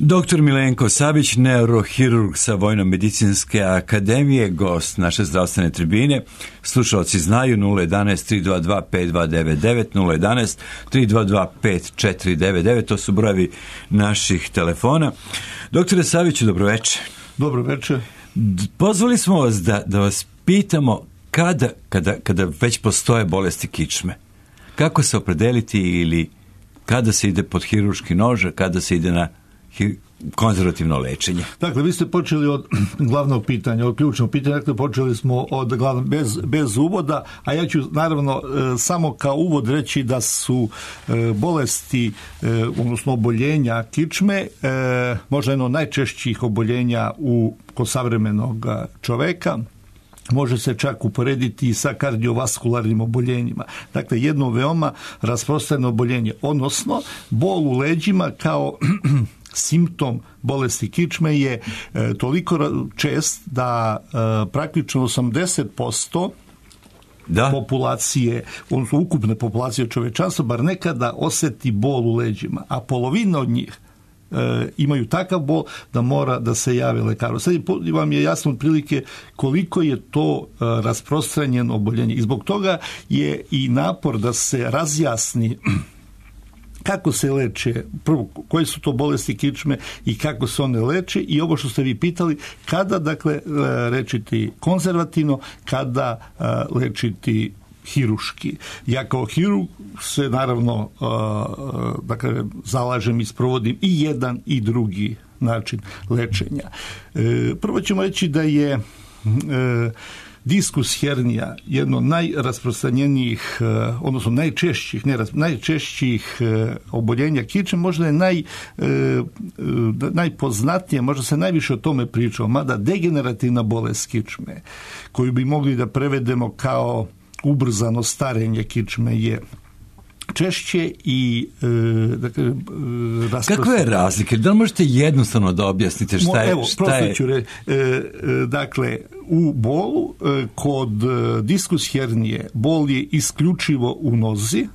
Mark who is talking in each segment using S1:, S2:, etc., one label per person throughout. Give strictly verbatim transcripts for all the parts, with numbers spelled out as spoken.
S1: Doktor Milenko Savić, neurohirurg sa Vojno-medicinske akademije, gost naše zdravstvene tribine. Slušalci znaju nula jedanaest tri dva dva pet dva devet devet, nula jedanaest tri dva dva pet četiri devet devet, to su brojevi naših telefona. Doktore Saviću, dobroveče.
S2: Dobroveče.
S1: Pozvali smo vas da, da vas pitamo kada, kada, kada već postoje bolesti kičme, kako se opredeliti ili kada se ide pod hirurški nož, kada se ide na konzervativno lečenje.
S2: Dakle, vi ste počeli od glavnog pitanja, od ključnog pitanja, dakle, počeli smo od glavnog, bez, bez uvoda, a ja ću naravno e, samo kao uvod reći da su e, bolesti, e, odnosno oboljenja kičme, e, možda jedno od najčešćih oboljenja u, kod savremenog čoveka. Može se čak uporediti i sa kardiovaskularnim oboljenjima. Dakle, jedno veoma rasprostranjeno oboljenje, odnosno bol u leđima kao simptom bolesti kičme je e, toliko čest da e, praktično osamdeset posto da. populacije, odnosno ukupne populacije čovečanstva, bar nekada osjeti bol u leđima, a polovina od njih E, imaju takav bol da mora da se jave lekaru. Sad vam je jasno otprilike koliko je to e, rasprostranjeno oboljenje. I zbog toga je i napor da se razjasni kako se leče, prvo, koje su to bolesti kičme i kako se one leče, i ovo što ste vi pitali, kada, dakle, lečiti konzervativno, kada e, lečiti hiruški. Ja kao hirurg se naravno uh, dakle, zalažem i sprovodim i jedan i drugi način lečenja. E, prvo ćemo reći da je e, diskus hernija jedno najrasprostranjenijih, odnosno najčešćih, ne, najčešćih oboljenja kičme, možda je naj, najpoznatije, možda se najviše o tome pričao, mada degenerativna bolest kičme, koju bi mogli da prevedemo kao ubrzano starenje kičme, je češće i e, dakle, rasprost...
S1: Kakve je razlike? Da li možete jednostavno da objasnite šta je?
S2: Evo,
S1: šta je...
S2: ću re, e, e, dakle, u bolu e, kod e, diskus hernije bol je isključivo u nozi,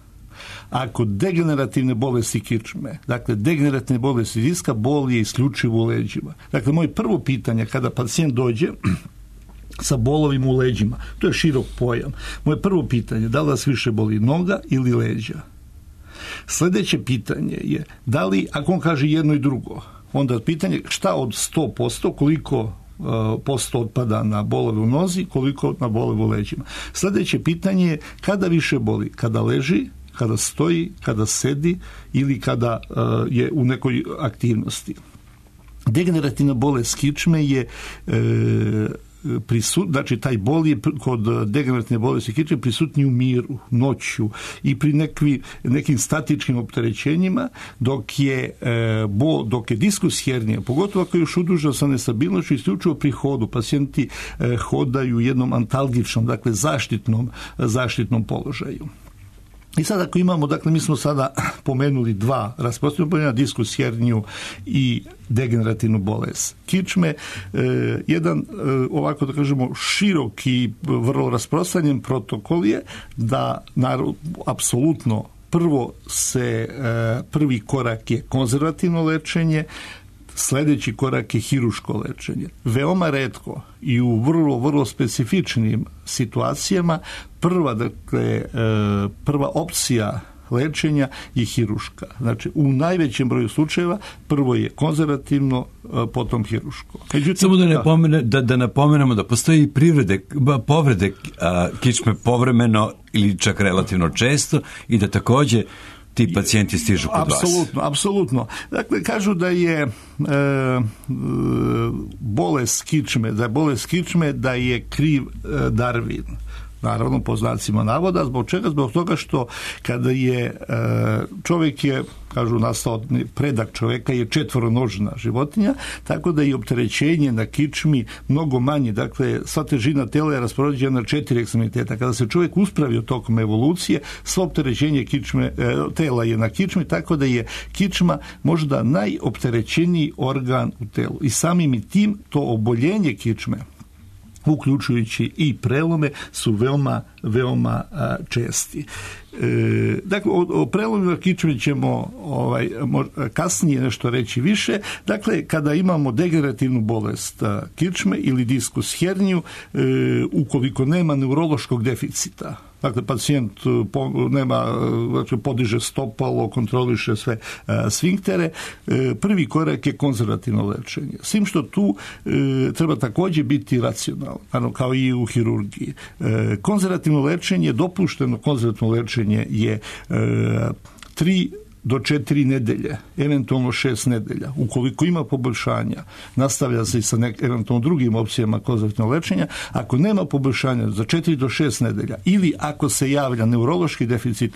S2: a kod degenerativne bolesti kičme, dakle degenerativne bolesti diska, bol je isključivo u leđima. Dakle, moje prvo pitanje kada pacijent dođe sa bolovima u leđima, to je širok pojam. Moje prvo pitanje, da li vas više boli noga ili leđa? Sljedeće pitanje je, da li, ako on kaže jedno i drugo, onda pitanje šta od sto posto, koliko uh, posto otpada na bolove u nozi, koliko na bolove u leđima. Sljedeće pitanje je, kada više boli? Kada leži, kada stoji, kada sedi ili kada uh, je u nekoj aktivnosti. Degenerativna bolest kičme je uh, prisut, znači taj bol je kod degenerativne bolesti kičme prisutniji u miru, noću i pri nekvi, nekim statičkim opterećenjima, dok je e, bol, dok je diskus hernija, pogotovo ako je još udruženo sa nestabilnošću, isključivo pri hodu, pacijenti e, hodaju jednom antalgičnom, dakle zaštitnom, zaštitnom položaju. I sad ako imamo, dakle mi smo sada pomenuli dva rasprostranjena oboljenja, diskus herniju i degenerativnu bolest kičme. E, jedan, e, ovako da kažemo, široki, vrlo rasprostranjen protokol je da naravno, apsolutno prvo se, e, prvi korak je konzervativno lečenje, sljedeći korak je hiruško lečenje. Veoma retko i u vrlo, vrlo specifičnim situacijama prva, dakle, prva opcija lečenja je hiruška. Znači, u najvećem broju slučajeva prvo je konzervativno, potom hiruško. Međutim,
S1: samo da, napomene, da, da napomenemo da postoji privrede, povrede a, kičme povremeno ili čak relativno često i da također ti pacijenti stižu kod vas.
S2: Apsolutno, apsolutno. Dakle, kažu da je e, bolest kičme, da je bolest kičme, da je kriv e, Darwin. Naravno, po znacima navoda. Zbog čega? Zbog toga što kada je e, čovjek je, kažu, nastao, predak čovjeka je četvoronožna životinja, tako da je opterećenje na kičmi mnogo manje. Dakle, sva težina tela je raspoređena na četiri ekstremiteta. Kada se čovjek uspravio tokom evolucije, svo opterećenje kičme, e, tela je na kičmi, tako da je kičma možda najopterećeniji organ u telu. I samim i tim to oboljenje kičme, uključujući i prelome, su veoma, veoma a, česti. E, dakle, o, o prelomima kičme ćemo ovaj, kasnije nešto reći više. Dakle, kada imamo degenerativnu bolest kičme ili diskus herniju, e, ukoliko nema neurološkog deficita, dakle, pacijent nema, znači, podiže stopalo, kontroliše sve a, sfinktere, e, prvi korak je konzervativno lečenje. S tim što tu e, treba također biti racionalno, ano, kao i u hirurgiji. E, konzervativno lečenje, dopušteno konzervativno lečenje je e, tri do četiri nedelje, eventualno šest nedelja. Ukoliko ima poboljšanja, nastavlja se i sa nek, eventualno drugim opcijama konzervativnog lečenja. Ako nema poboljšanja, za četiri do šest nedelja ili ako se javlja neurološki deficit,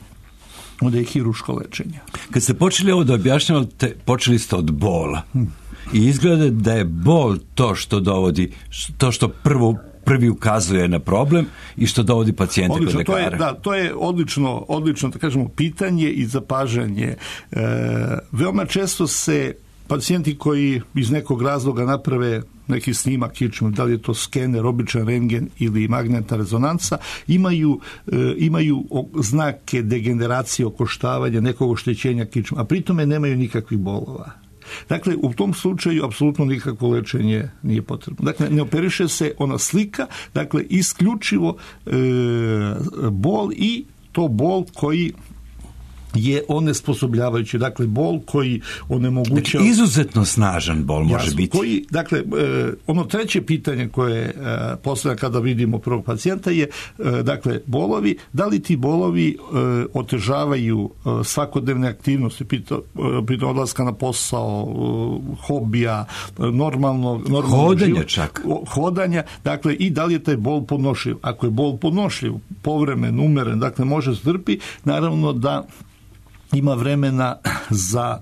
S2: onda je hiruško lečenje.
S1: Kad ste počeli ovo da objašnjavate, počeli ste od bola. Hmm. I izgleda da je bol to što dovodi, to što prvo prvi ukazuje na problem i što dovodi pacijente kod lekara.
S2: To je, da, to je odlično, odlično, da kažemo, pitanje i zapažanje. E, veoma često se pacijenti koji iz nekog razloga naprave neki snimak kičme, da li je to skener, običan rentgen ili magnetna rezonanca, imaju, e, imaju znake degeneracije, okoštavanja, nekog oštećenja kičme, a pritome nemaju nikakvih bolova. Dakle, u tom slučaju apsolutno nikakvo lečenje nije potrebno. Dakle, ne operiše se ona slika, dakle, isključivo e, bol i to bol koji je onesposobljavajući, dakle bol koji onemogućava...
S1: Dakle, izuzetno snažan bol može
S2: jasno,
S1: biti.
S2: Koji, dakle, e, ono treće pitanje koje e, postavlja kada vidimo prvog pacijenta je, e, dakle, bolovi, da li ti bolovi e, otežavaju e, svakodnevne aktivnosti, pita, e, pita odlaska na posao, e, hobija, e, normalno... normalno
S1: hodanja
S2: život,
S1: čak.
S2: Hodanja, dakle, i da li je taj bol podnošljiv. Ako je bol podnošljiv, povremen, umeren, dakle, može strpi, naravno da ima vremena za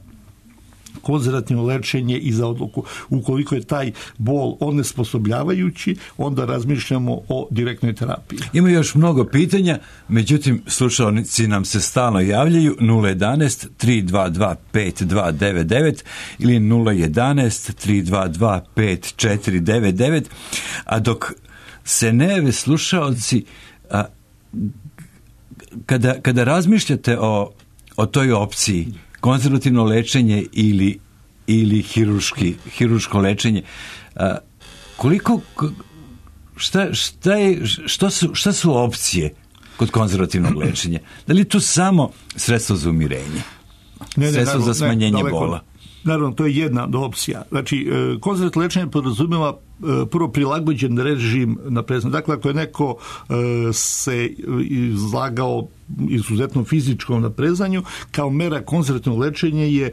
S2: konzervativno lečenje i za odluku. Ukoliko je taj bol onesposobljavajući, onda razmišljamo o direktnoj terapiji.
S1: Ima još mnogo pitanja, međutim, slušalnici nam se stalno javljaju nula jedanaest tri dva dva pet dva devet devet ili nula jedanaest tri dva dva pet četiri devet devet, a dok se ne jave slušalci, a, kada, kada razmišljate o o toj opciji, konzervativno lečenje ili, ili hiruški, hiruško lečenje, a, koliko, šta, šta, je, šta, su, šta su opcije kod konzervativnog lečenja? Da li je to samo sredstvo za umirenje? Ne, ne, sredstvo naravno, za smanjenje ne, bola?
S2: Naravno, to je jedna od opcija. Znači, konzervativno lečenje podrazumijeva prvo prilagođen režim na prezanje. Dakle, ako je neko se izlagao izuzetnom fizičkom naprezanju, kao mera konzervativnog lečenja je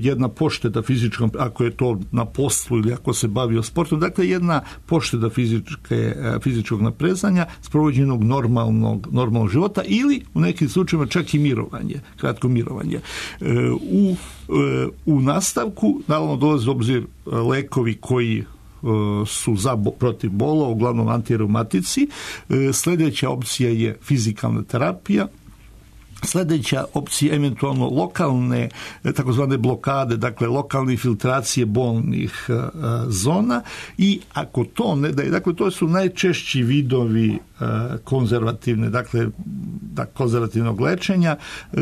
S2: jedna pošteda fizičkom, ako je to na poslu ili ako se bavio sportom, dakle jedna pošteda fizičke, fizičkog naprezanja sprovođenog normalnog, normalnog života ili u nekim slučajevima čak i mirovanje, kratko mirovanje. U, u nastavku, naravno, dolazi u obzir lekovi koji su za protiv bola, uglavnom antireumatici. Sljedeća opcija je fizikalna terapija. Sljedeća opcija eventualno lokalne, takozvane blokade, dakle lokalne filtracije bolnih uh, zona i ako to ne daje, dakle to su najčešći vidovi uh, konzervativne, dakle da, konzervativnog lečenja uh,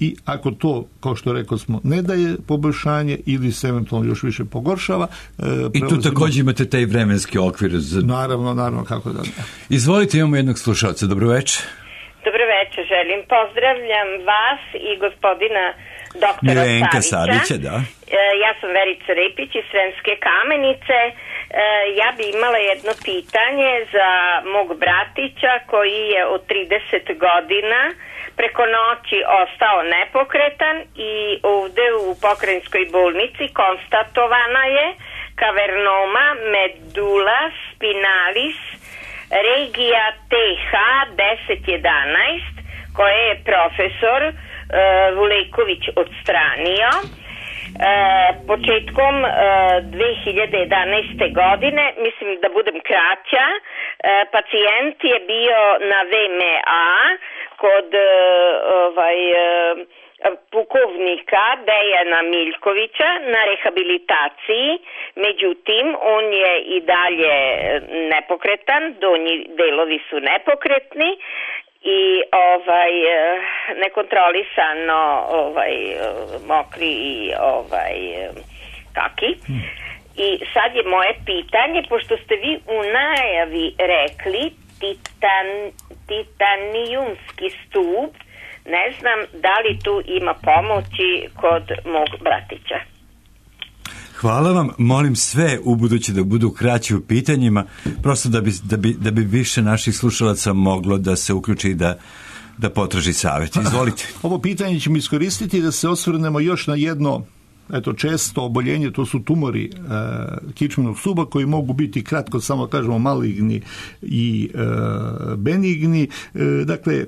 S2: i ako to, kao što rekao smo, ne daje poboljšanje ili se eventualno još više pogoršava. E,
S1: I tu također imate taj vremenski okvir. Za...
S2: Naravno, naravno, kako da ne.
S1: Izvolite, imamo jednog slušalca. Dobro večer.
S3: Dobro večer, želim. Pozdravljam vas i gospodina doktora
S1: Milenka
S3: Savića.
S1: Savića, da.
S3: E, ja sam Verica Repić iz Sremske Kamenice. E, ja bi imala jedno pitanje za mog bratića koji je od trideset godina preko noći ostao nepokretan i ovdje u pokrajinskoj bolnici konstatovana je kavernoma medulla spinalis regija T H deset jedanaest koje je profesor uh, Vuleković odstranio uh, početkom uh, dve hiljade jedanaeste. godine, mislim da budem kraća, uh, pacijent je bio na V M A kod ovaj pukovnika Dejana Miljkovića na rehabilitaciji, međutim on je i dalje nepokretan, donji delovi su nepokretni i ovaj nekontrolisano ovaj mokri i ovaj kaki. I sad je moje pitanje, pošto ste vi u najavi rekli titan, titanijumski stup, ne znam da li tu ima pomoći kod mog bratića.
S1: Hvala vam, molim sve u budući da budu kraći u pitanjima, prosto da bi, da bi, da bi više naših slušalaca moglo da se uključi i da, da potraži savjet. Izvolite.
S2: Ovo pitanje ćemo iskoristiti da se osvrnemo još na jedno eto često oboljenje, to su tumori e, kičmenog stuba koji mogu biti kratko samo kažemo maligni i e, benigni. E, dakle, e,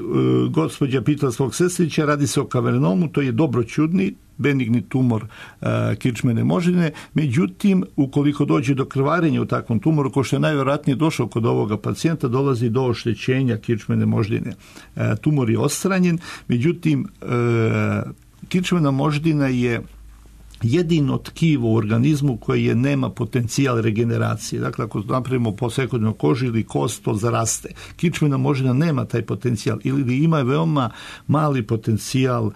S2: gospođa pitala svog sestrića, radi se o kavernomu, to je dobroćudni benigni tumor e, kičmene moždine, međutim, ukoliko dođe do krvarenja u takvom tumoru, ko što je najvjerojatnije došao kod ovoga pacijenta, dolazi do oštećenja kičmene moždine. E, tumor je odstranjen, međutim, e, kičmena moždina je jedino tkivo u organizmu koje nema potencijal regeneracije. Dakle, ako napravimo posekodnu kožu ili kost, to zaraste. Kičmena moždina nema taj potencijal ili ima veoma mali potencijal uh,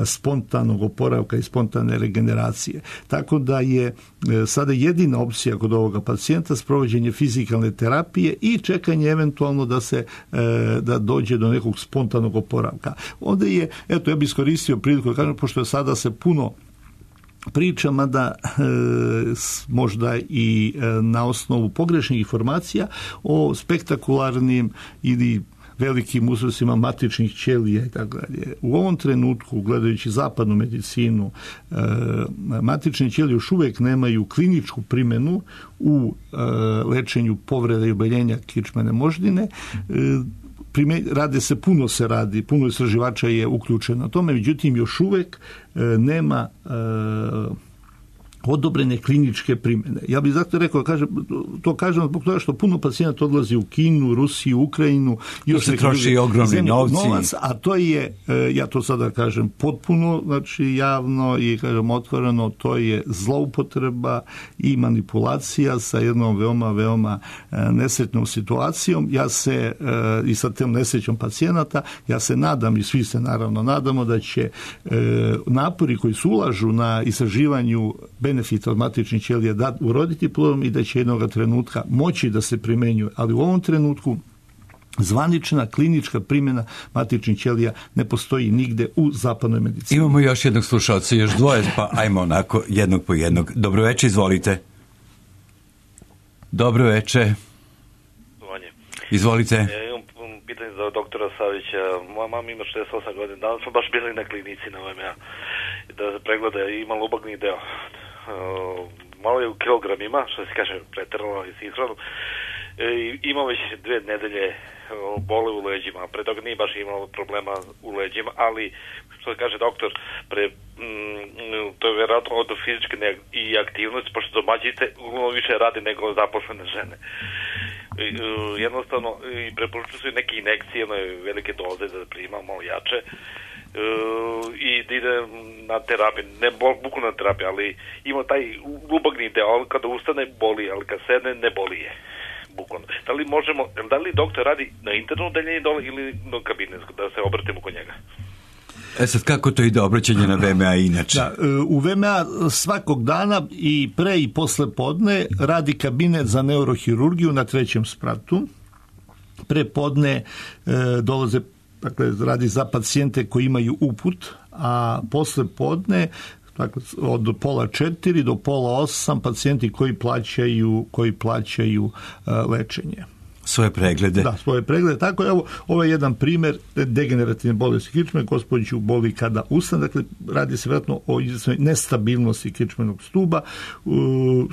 S2: spontanog oporavka i spontane regeneracije. Tako da je uh, sada jedina opcija kod ovoga pacijenta sprovođenje fizikalne terapije i čekanje eventualno da se uh, da dođe do nekog spontanog oporavka. Ovdje je, eto, ja bih iskoristio priliku da kažem, pošto je sada se puno pričama da e, možda i e, na osnovu pogrešnih informacija o spektakularnim ili velikim uzrocima matičnih ćelija i tako dalje. U ovom trenutku, gledajući zapadnu medicinu, e, matične ćelije još uvijek nemaju kliničku primjenu u e, lečenju povreda i oboljenja kičmene moždine. E, Rade se, puno se radi, puno istraživača je uključeno na tome, međutim još uvijek e, nema e, odobrene kliničke primjene. Ja bih zato rekao, kažem, to kažem zbog toga što puno pacijenata odlazi u Kinu, Rusiju, Ukrajinu.
S1: To se troši ogromni novci.
S2: Novac, a to je, ja to sada kažem potpuno, znači javno i kažem otvoreno, to je zloupotreba i manipulacija sa jednom veoma, veoma nesretnom situacijom. Ja se, i sa tem nesrećom pacijenata, ja se nadam i svi se naravno nadamo da će napori koji se ulažu na istraživanju benefita od matičnih ćelija da uroditi plodom i da će jednog trenutka moći da se primjenjuje, ali u ovom trenutku zvanična klinička primjena matičnih ćelija ne postoji nigde u zapadnoj medicini.
S1: Imamo još jednog slušalca, još dvoje, pa ajmo onako jednog po jednog. Dobro večer, izvolite. Dobro večer. Izvolite.
S4: Ja imam pitanje za doktora Savića. Moja mama ima šezdeset osam godina. Danas smo baš bili na klinici na O M A da se pregleda i ima lubagni deo. Uh, malo je u kilogramima, što se kaže preterano i sinhronu. E, ima već dve nedelje bole u leđima. Pre toga nije baš imalo problema u leđima, ali što se kaže doktor, pre, mm, to je vjerojatno od fizičke i aktivnosti, pošto domaćice više radi nego zaposlene žene. I, uh, jednostavno i preporučuju su neke injekcije, ono je velike doze da prima, malo jače. Uh, i da ide na terapiju, ne bukvalno na terapiju, ali ima taj lubagni deo, kada ustane boli, ali kad sedne ne boli je. Bukvalno. Da li možemo, da li doktor radi na internu odeljenje dole ili na kabinetsko, da se obratimo kod njega?
S1: E sad, kako to ide obraćanje na V M A inače?
S2: Da, u V M A svakog dana i pre i posle podne radi kabinet za neurohirurgiju na trećem spratu. Pre podne e, dolaze, dakle, radi za pacijente koji imaju uput, a posle podne, dakle, od pola četiri do pola osam pacijenti koji plaćaju, koji plaćaju uh, lečenje.
S1: Svoje preglede.
S2: Da, svoje preglede. Tako, evo, ovo je jedan primjer degenerativne bolesti kičme. Gospođu boli kada ustane. Dakle, radi se vjerojatno o nestabilnosti kičmenog stuba. Uh,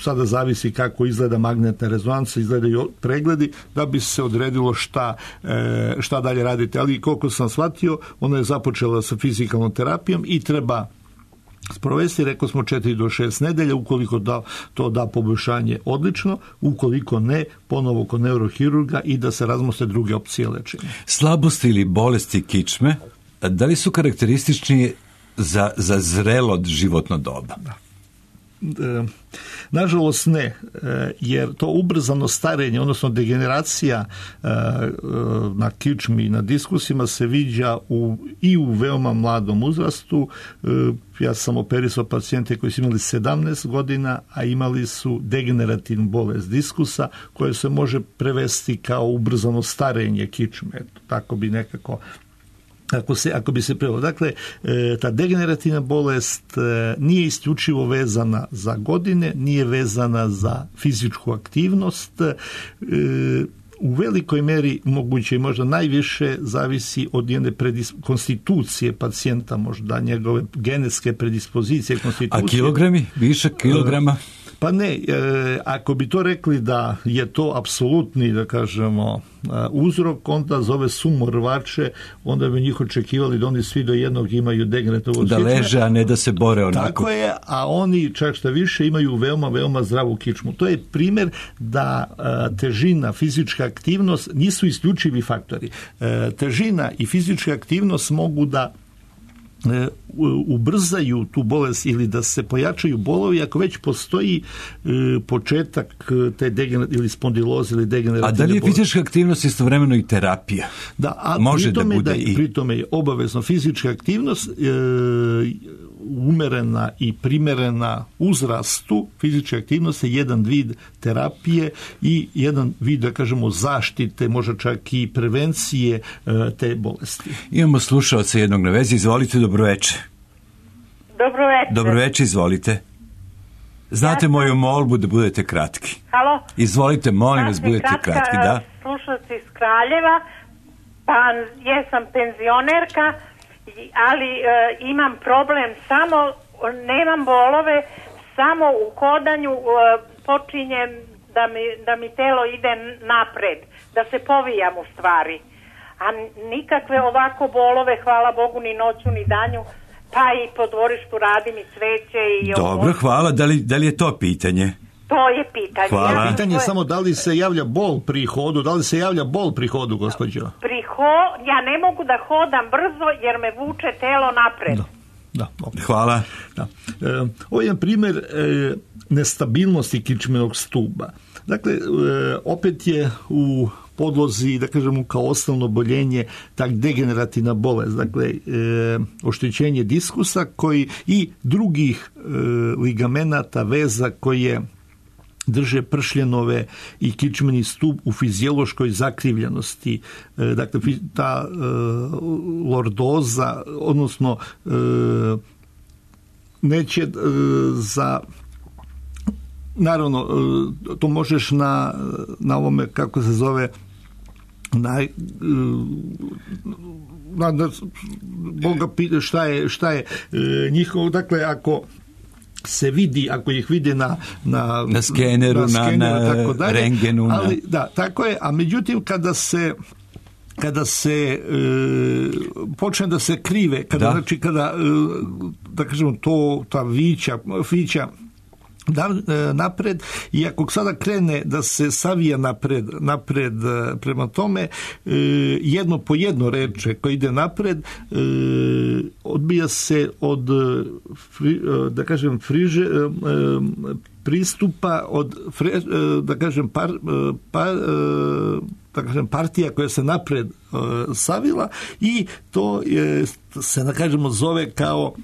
S2: sada zavisi kako izgleda magnetna rezonanca, izgledaju pregledi, da bi se odredilo šta, e, šta dalje radite. Ali koliko sam shvatio, ona je započela sa fizikalnom terapijom i treba sprovesti, rekao smo četiri do šest nedelja, ukoliko da, to da poboljšanje odlično, ukoliko ne, ponovo kod neurohirurga i da se razmostre druge opcije lečenja.
S1: Slabosti ili bolesti kičme, da li su karakteristični za, za zrelo životno doba?
S2: Da. E, nažalost ne, e, jer to ubrzano starenje, odnosno degeneracija e, e, na kičmi i na diskusima se viđa u, i u veoma mladom uzrastu. E, ja sam operisao pacijente koji su imali sedamnaest godina, a imali su degenerativnu bolest diskusa koja se može prevesti kao ubrzano starenje kičme. Eto, tako bi nekako Ako, se, ako bi se prevelo. Dakle, e, ta degenerativna bolest e, nije isključivo vezana za godine, nije vezana za fizičku aktivnost. E, u velikoj meri moguće i možda najviše zavisi od jedne predis, konstitucije pacijenta, možda njegove genetske predispozicije konstitucije.
S1: A kilogrami? Više kilograma?
S2: E, Pa ne, e, ako bi to rekli da je to apsolutni, da kažemo, uzrok, onda zove sumo rvače, onda bi njih očekivali da oni svi do jednog imaju degenerativnu
S1: da
S2: kičme.
S1: leže, a ne da se bore onako.
S2: Tako je, a oni čak što više imaju veoma, veoma zdravu kičmu. To je primjer da a, težina, fizička aktivnost nisu isključivi faktori. E, težina i fizička aktivnost mogu da ubrzaju tu bolest ili da se pojačaju bolovi ako već postoji e, početak te degener- ili spondiloze ili degenerativne bolesti.
S1: A da li je fizička aktivnost istovremeno i terapija?
S2: Da, a
S1: može
S2: pri tome,
S1: da bude
S2: da,
S1: i...
S2: pri tome je obavezno fizička aktivnost e, umerena i primerena uzrastu. Fizička aktivnost je jedan vid terapije i jedan vid, da kažemo, zaštite, možda čak i prevencije e, te bolesti.
S1: Imamo slušalca jednog na vezi. Izvolite, dobroveče.
S3: Dobroveče.
S1: Dobroveče, izvolite. Znate ja moju molbu da budete kratki.
S3: Halo?
S1: Izvolite, molim vas, budete
S3: kratka,
S1: kratki, da.
S3: Slušalci iz Kraljeva, pa jesam penzionerka, ali e, imam problem samo, nemam bolove, samo u hodanju e, počinjem da mi, da mi telo ide napred, da se povijam u stvari. A nikakve ovako bolove, hvala Bogu, ni noću, ni danju, pa i po dvorištu radim i cveće. I
S1: Dobro, ovo. Hvala. Da li, da li je to pitanje?
S3: To je pitanje.
S1: Hvala.
S2: Ja, pitanje je samo da li se javlja bol pri hodu, da li se javlja bol pri hodu, gospođo?
S3: Pri ho, ja ne mogu da hodam brzo jer me vuče telo napred.
S2: Da, da, okay.
S1: Hvala.
S2: Da. E, ovo je jedan primjer e, nestabilnosti kičmenog stuba. Dakle, e, opet je u podlozi, da kažemo, kao osnovno oboljenje tak degenerativna bolest, dakle e, oštećenje diskusa koji i drugih e, ligamenata, veza koje drže pršljenove i kičmeni stup u fiziološkoj zakrivljenosti. E, dakle, ta e, lordoza, odnosno e, neće e, za naravno, e, to možeš na, na ovome, kako se zove, na, na, na Boga pita šta je, šta je e, njihovo, dakle, ako se vidi, ako ih vide na na,
S1: na skeneru, na, skeneru, na, tako dalje, rengenu.
S2: Ali,
S1: na...
S2: da, tako je, a međutim kada se kada se e, počne da se krive, kada, da. znači kada, e, da kažemo, to, ta vića, vića Da, napred, i ako sada krene da se savija napred, napred prema tome, jedno po jedno reče koje ide napred, odbija se od, da kažem, friže, pristupa od, da kažem, par, par, da kažem, partija koja se napred savila, i to je, se, da kažemo, zove kao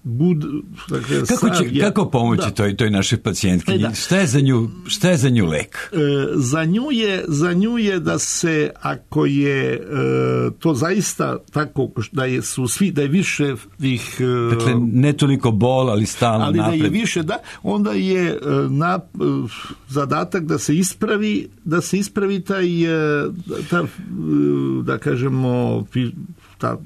S2: Good, dakle,
S1: kako, će,
S2: je,
S1: kako pomoći da. toj, toj našoj pacijentki? E, šta je za nju, šta je za nju lek?
S2: E, za, nju je, za nju je da se, ako je e, to zaista tako, da je, su svi, da je više ih... E,
S1: dakle, ne toliko bol, ali stalno
S2: ali
S1: napred.
S2: Ali da je više, da, onda je e, na, e, zadatak da se ispravi, da se ispravi taj, e, ta, e, da kažemo, ta,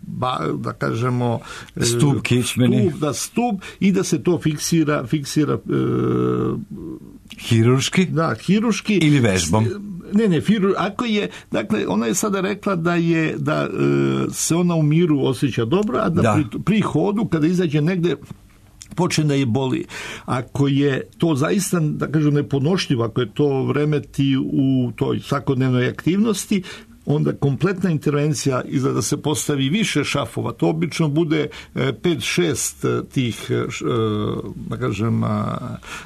S2: ba, da kažemo,
S1: stup kičmeni,
S2: stup, da stup, i da se to fiksira fiksira e,
S1: hiruški,
S2: da, hiruški
S1: ili vežbom.
S2: Ne, ne, firu, ako je, dakle, ona je sada rekla da je, da e, se ona u miru osjeća dobro, a da, da. Pri, pri hodu, kada izađe negde, počne da je boli. Ako je to zaista, da kažem, nepodnošljivo, ako je to remeti u toj svakodnevnoj aktivnosti, onda kompletna intervencija izgleda da se postavi više šafova. To obično bude pet šest tih, da kažem,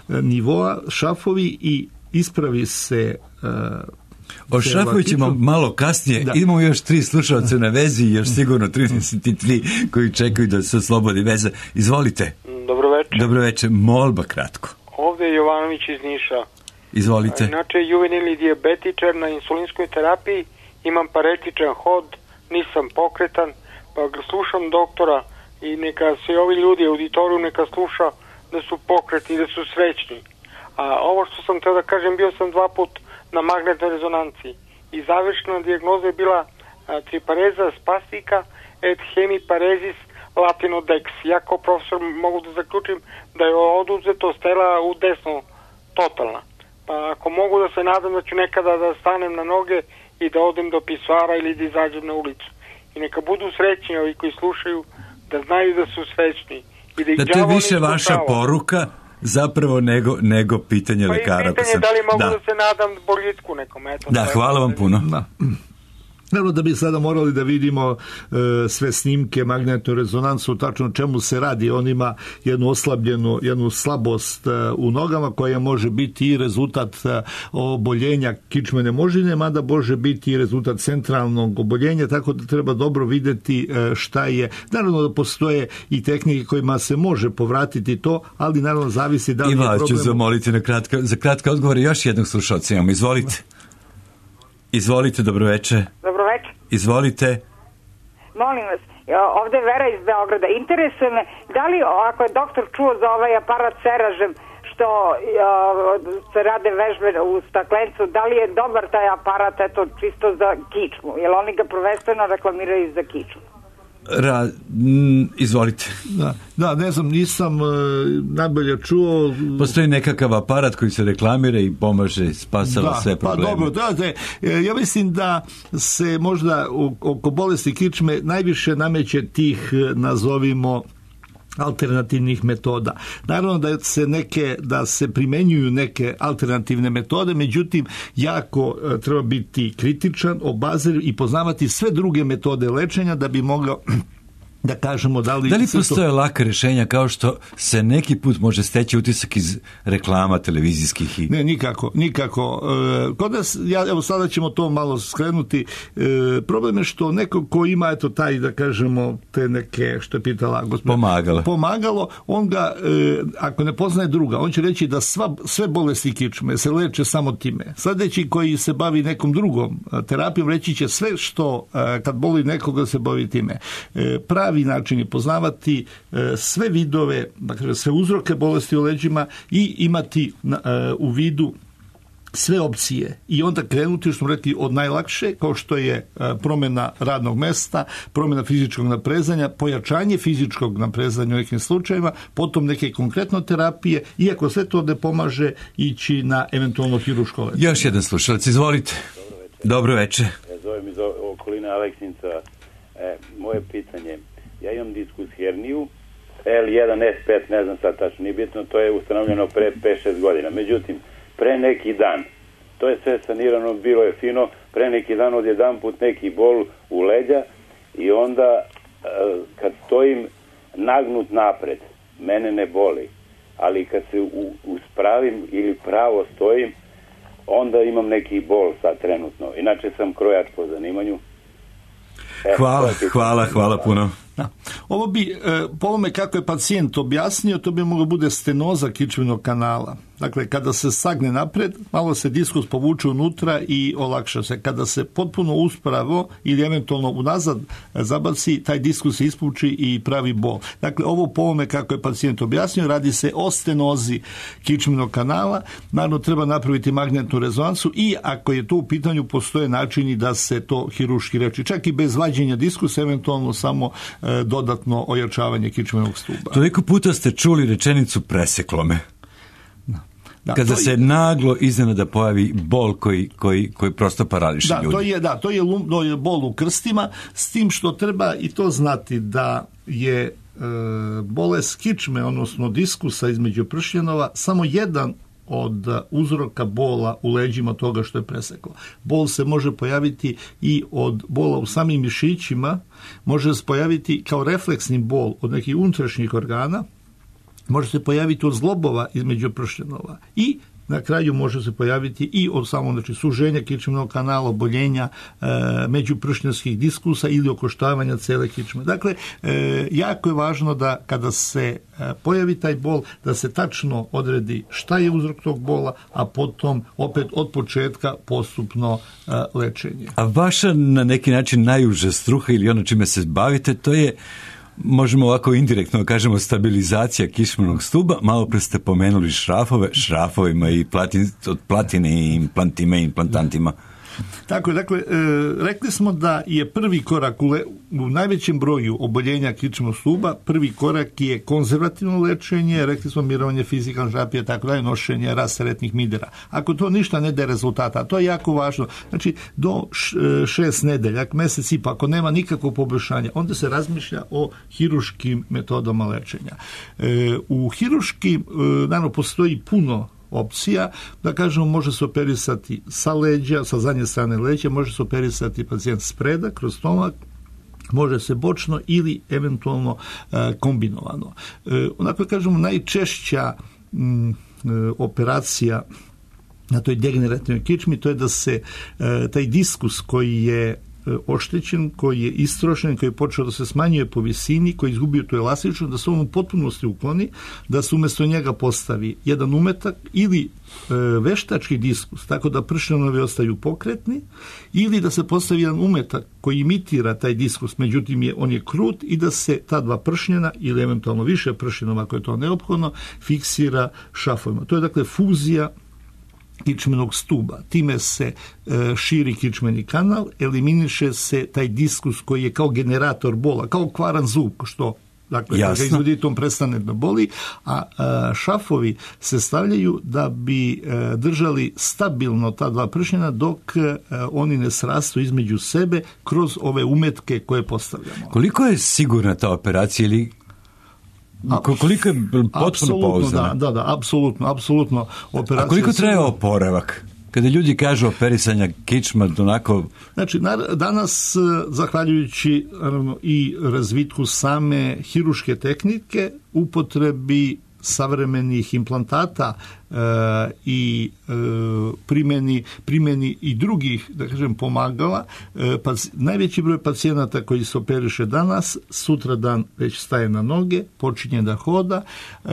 S2: nivoa šafovi i ispravi se.
S1: O šafovi ćemo malo kasnije. Da. Imamo još tri slušalce na vezi, još sigurno trideset tri koji čekaju da se oslobodi veza. Izvolite.
S5: Dobro večer.
S1: Dobro večer. Molba kratko.
S5: Ovde je Jovanović iz Niša.
S1: Izvolite.
S5: Inače, juvenilni dijabetičar na insulinskoj terapiji, imam paretičan hod, nisam pokretan, pa slušam doktora i neka se ovi ljudi u auditoriju neka sluša da su pokretni, da su srećni. A ovo što sam teo da kažem, bio sam dva put na magnetnoj rezonanciji i završna dijagnoza je bila tripareza spastika et hemiparezis latinodex. Ja kao profesor mogu da zaključim da je oduzeto stela u desno totalna. Pa ako mogu da se nadam da ću nekada da stanem na noge i da odem do pisoara ili da izađem na ulicu. I neka budu srećni ovi koji slušaju, da znaju da su srećni. I da,
S1: da to je više vaša poruka zapravo nego, nego pitanje
S5: pa
S1: lekara.
S5: Pa i pitanje da li mogu da, da se nadam boljitku nekom. Eto,
S1: da, hvala vam puno. Da.
S2: Naravno da bi sada morali da vidimo e, sve snimke, magnetnu rezonansu, tačno čemu se radi. On ima jednu oslabljenu, jednu slabost e, u nogama koja može biti i rezultat e, oboljenja kičmene moždine, mada može biti i rezultat centralnog oboljenja, tako da treba dobro videti e, šta je. Naravno da postoje i tehnike kojima se može povratiti to, ali naravno zavisi da li je problem.
S1: I vas ću zamoliti na kratka, za kratke odgovore još jednog slušalca imamo. Izvolite. Izvolite, dobro večer.
S6: Dobro večer.
S1: Izvolite.
S6: Molim vas, ovde je Vera iz Beograda. Interesuje me, da li, ako je doktor čuo za ovaj aparat Seražem, što se rade vežbe u staklencu, da li je dobar taj aparat, eto, čisto za kičmu? Jer oni ga prvenstveno reklamiraju za kičmu.
S1: Ra, m, izvolite.
S2: Da, da, ne znam, nisam e, najbolje čuo.
S1: Postoji nekakav aparat koji se reklamira i pomaže, spasava
S2: da,
S1: sve probleme.
S2: Pa dobro, da, da, ja mislim da se možda oko bolesti kičme najviše nameće tih, nazovimo, alternativnih metoda. Naravno da se neke, da se primenjuju neke alternativne metode, međutim jako treba biti kritičan, obazriv i poznavati sve druge metode lečenja da bi mogao da kažemo da li...
S1: Da li postoje to... laka rješenja kao što se neki put može steći utisak iz reklama televizijskih? I...
S2: Ne, nikako, nikako. E, kod nas, ja, evo sada ćemo to malo skrenuti, e, problem je što neko ko ima, eto taj, da kažemo, te neke, što je pitala gospodin...
S1: Pomagalo.
S2: Pomagalo, on ga, e, ako ne poznaje druga, on će reći da sva, sve bolesti kičme se leče samo time. Sljedeći koji se bavi nekom drugom terapijom, reći će sve što, e, kad boli nekoga se bavi time. E, pravi način je poznavati e, sve vidove, dakle sve uzroke bolesti u leđima i imati na, e, u vidu sve opcije i onda krenuti, što smo rekli, od najlakše, kao što je e, promjena radnog mesta, promjena fizičkog naprezanja, pojačanje fizičkog naprezanja u nekim slučajevima, potom neke konkretno terapije, iako sve to ne pomaže, ići na eventualno hiruško lečenje.
S1: Još jedan slušalac, izvolite. Dobro večer.
S7: Ja zovem iz okoline Aleksinca. E, moje pitanje, ja imam diskus herniju, L jedan S pet, ne znam sad tačno, nije bitno, to je ustanovljeno pre pet šest godina. Međutim, pre neki dan, to je sve sanirano, bilo je fino, pre neki dan odjedan put neki bol u leđa i onda kad stojim nagnut napred, mene ne boli, ali kad se u, uspravim ili pravo stojim, onda imam neki bol sad trenutno. Inače sam krojač po zanimanju.
S1: E, hvala, hvala, hvala puno.
S2: Da. Ovo bi, e, po ovome kako je pacijent objasnio, to bi moglo bude stenoza kičmenog kanala. Dakle, kada se sagne napred, malo se diskus povuče unutra i olakša se. Kada se potpuno uspravo ili eventualno unazad zabaci, taj diskus se ispuči i pravi bol. Dakle, ovo po ovome kako je pacijent objasnio, radi se o stenozi kičmenog kanala. Naravno, treba napraviti magnetnu rezonansu i ako je to u pitanju, postoje načini da se to hiruški leči. Čak i bez vađenja diskusa, eventualno samo e, dodatno ojačavanje kičmenog stuba.
S1: Toliko puta ste čuli rečenicu preseklo me.
S2: Da,
S1: Kada se
S2: je,
S1: naglo iznenada pojavi bol koji, koji, koji prosto parališe
S2: da,
S1: ljudi.
S2: To je, da, to je, lum, to je bol u krstima, s tim što treba i to znati da je e, bolest kičme, odnosno diskusa između pršljenova, samo jedan od uzroka bola u leđima toga što je preseklo. Bol se može pojaviti i od bola u samim mišićima, može se pojaviti kao refleksni bol od nekih unutrašnjih organa, može se pojaviti od zglobova između pršljenova i na kraju može se pojaviti i od samo znači, suženja kičmenog kanala, oboljenja e, međupršnjenskih diskusa ili okoštavanja cele kičme. Dakle, e, jako je važno da kada se e, pojavi taj bol, da se tačno odredi šta je uzrok tog bola, a potom opet od početka postupno e, lečenje.
S1: A vaša na neki način najuža struha ili ono čime se bavite, to je, možemo ovako indirektno kažemo, stabilizacija kičmenog stuba. Malo pre ste pomenuli šrafove, šrafovima i platin, od platine i implantima i implantantima.
S2: Tako je, dakle, e, rekli smo da je prvi korak u, le, u najvećem broju oboljenja kičmenog stuba, prvi korak je konzervativno lečenje, rekli smo mirovanje, fizikalna terapija, tako da je nošenje rasteretnih midera. Ako to ništa ne daje rezultata, to je jako važno. Znači, do š, šest nedelja, mjesec i pa, ako nema nikakvog poboljšanja, onda se razmišlja o hiruškim metodama lečenja. E, u hiruškim, e, naravno, postoji puno opcija, da kažemo, može se operisati sa leđa, sa zadnje strane leđa, može se operisati pacijent spreda, kroz stomak, može se bočno ili eventualno e, kombinovano. E, onako kažemo, najčešća m, e, operacija na toj degenerativnoj kičmi, to je da se e, taj diskus koji je oštećen, koji je istrošen, koji je počeo da se smanjuje po visini, koji je izgubio tu elastičnost, da se on u potpunosti ukloni, da se umjesto njega postavi jedan umetak ili e, veštački diskus, tako da pršljenovi ostaju pokretni, ili da se postavi jedan umetak koji imitira taj diskus, međutim je, on je krut, i da se ta dva pršnjena ili eventualno više pršnjenova, ako je to neophodno, fiksira šafovima. To je dakle fuzija kičmenog stuba. Time se e, širi kičmeni kanal, eliminiše se taj diskus koji je kao generator bola, kao kvaran zub, što dakle, kada ga izvodite, on prestane da boli, a, a šafovi se stavljaju da bi e, držali stabilno ta dva pršnjena dok e, oni ne srastu između sebe kroz ove umetke koje postavljamo.
S1: Koliko je sigurna ta operacija ili koliko je potpuno pouzdana?
S2: Da, da, da, apsolutno, apsolutno.
S1: A koliko traje oporavak? Kada ljudi kažu operisanja kičma, onako...
S2: Znači, danas, zahvaljujući naravno, i razvitku same hiruške tehnike, upotrebi savremenih implantata e, i e, primjeni, primjeni i drugih, da kažem, pomagala, e, pa, najveći broj pacijenata koji se operiše danas, sutra dan već staje na noge, počinje da hoda e,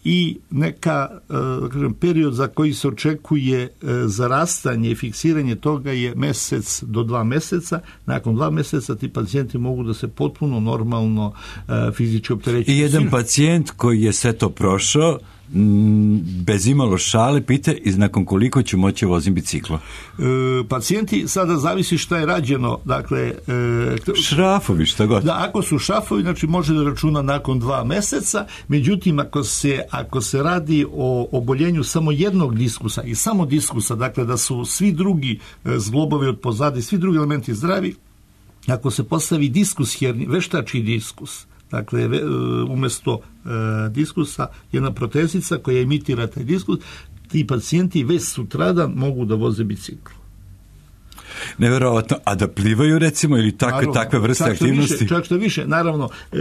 S2: i neka, e, da kažem, period za koji se očekuje e, zarastanje i fiksiranje toga je mjesec do dva mjeseca. Nakon dva mjeseca ti pacijenti mogu da se potpuno normalno e, fizički opterećuju.
S1: I jedan pacijent koji je sve to prošao, bez imalo šale, pita i nakon koliko ću moći voziti biciklo?
S2: E, pacijenti, sada zavisi šta je rađeno, dakle... E,
S1: šrafovi, šta god.
S2: Da, ako su šrafovi, znači može da računa nakon dva meseca, međutim, ako se, ako se radi o oboljenju samo jednog diskusa i samo diskusa, dakle da su svi drugi zglobovi od pozadi, svi drugi elementi zdravi, ako se postavi diskus herni, veštački diskus, dakle, umjesto e, diskusa jedna protezica koja imitira taj diskus, ti pacijenti već sutradan mogu da voze bicikl.
S1: Neverovatno, a da plivaju recimo ili takve, naravno, takve vrste čak aktivnosti?
S2: Više, čak što više, naravno e,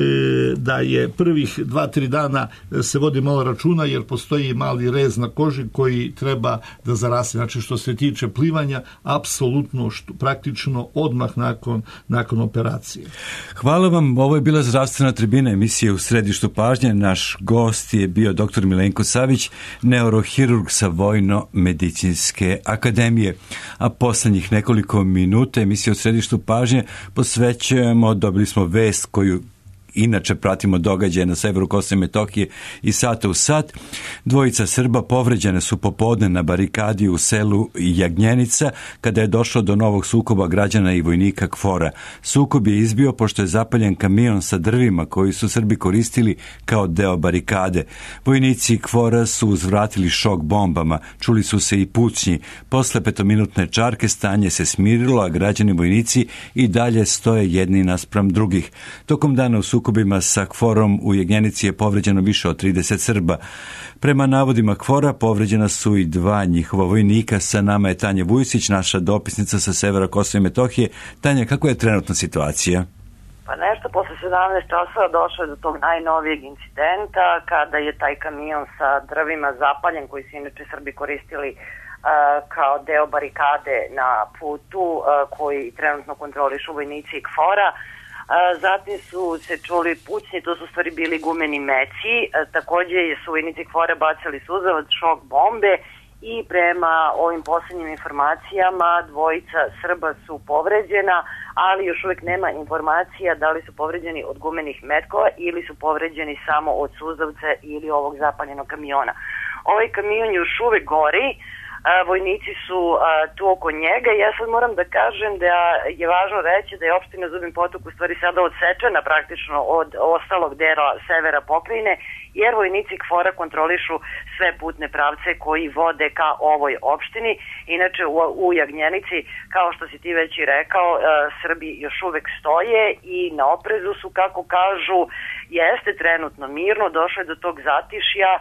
S2: da je prvih dva, tri dana se vodi malo računa jer postoji mali rez na koži koji treba da zaraste. Znači što se tiče plivanja, apsolutno što, praktično odmah nakon, nakon operacije.
S1: Hvala vam, ovo je bila Zdravstvena tribina, emisije U središtu pažnje. Naš gost je bio doktor Milenko Savić, neurohirurg sa Vojno-medicinske akademije, a poslednjih nekoliko minuta emisije U središtu pažnje posvećujemo, dobili smo vest koju inače pratimo događaje na severu Kosova i Metohije i sata u sat. Dvojica Srba povređene su popodne na barikadi u selu Jagnjenica kada je došlo do novog sukoba građana i vojnika KFOR-a. Sukob je izbio pošto je zapaljen kamion sa drvima koji su Srbi koristili kao deo barikade. Vojnici KFOR-a su uzvratili šok bombama, čuli su se i pucnji. Posle petominutne čarke stanje se smirilo, a građani vojnici i dalje stoje jedni naspram drugih. Tokom dana u sukobima sa KFOR-om u Jagnjenici je povređeno više od trideset Srba. Prema navodima KFOR-a povređena su i dva njihova vojnika. Sa nama je Tanja Vujsić, naša dopisnica sa severa Kosova i Metohije. Tanja, kako je trenutna situacija?
S8: Pa nešto posle sedamnaest časova došlo je do tog najnovijeg incidenta kada je taj kamion sa drvima zapaljen, koji su inače Srbi koristili uh, kao deo barikade na putu uh, koji trenutno kontrolišu vojnici KFOR-a. Uh, zatim su se čuli pucnji, to su stvari bili gumeni meci. Uh, takođe su vojnici KFOR-a bacali suzavac, šok bombe i prema ovim posljednjim informacijama dvojica Srba su povređena, ali još uvijek nema informacija da li su povređeni od gumenih metkova ili su povređeni samo od suzavca ili ovog zapaljenog kamiona. Ovaj kamion još uvijek gori, vojnici su tu oko njega i ja sad moram da kažem da je važno reći da je opština Zubin Potok u stvari sada odsečena praktično od ostalog dela severa pokrajine, jer vojnici KFOR-a kontrolišu sve putne pravce koji vode ka ovoj opštini. Inače u, u Jagnjenici, kao što si ti već i rekao, Srbi još uvek stoje i na oprezu su, kako kažu, jeste trenutno mirno, došlo je do tog zatišja,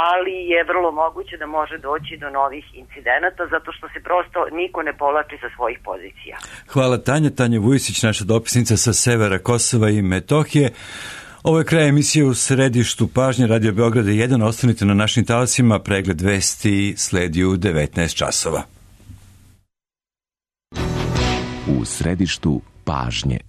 S8: ali je vrlo moguće da može doći do novih incidenata, zato što se prosto niko ne povlači sa svojih pozicija.
S1: Hvala Tanja. Tanja Vujsić, naša dopisnica sa severa Kosova i Metohije. Ovo je kraj emisije U središtu pažnje Radio Beograda jedan. Ostanite na našim talasima, pregled vesti sledi u devetnaest časova.
S9: U središtu pažnje.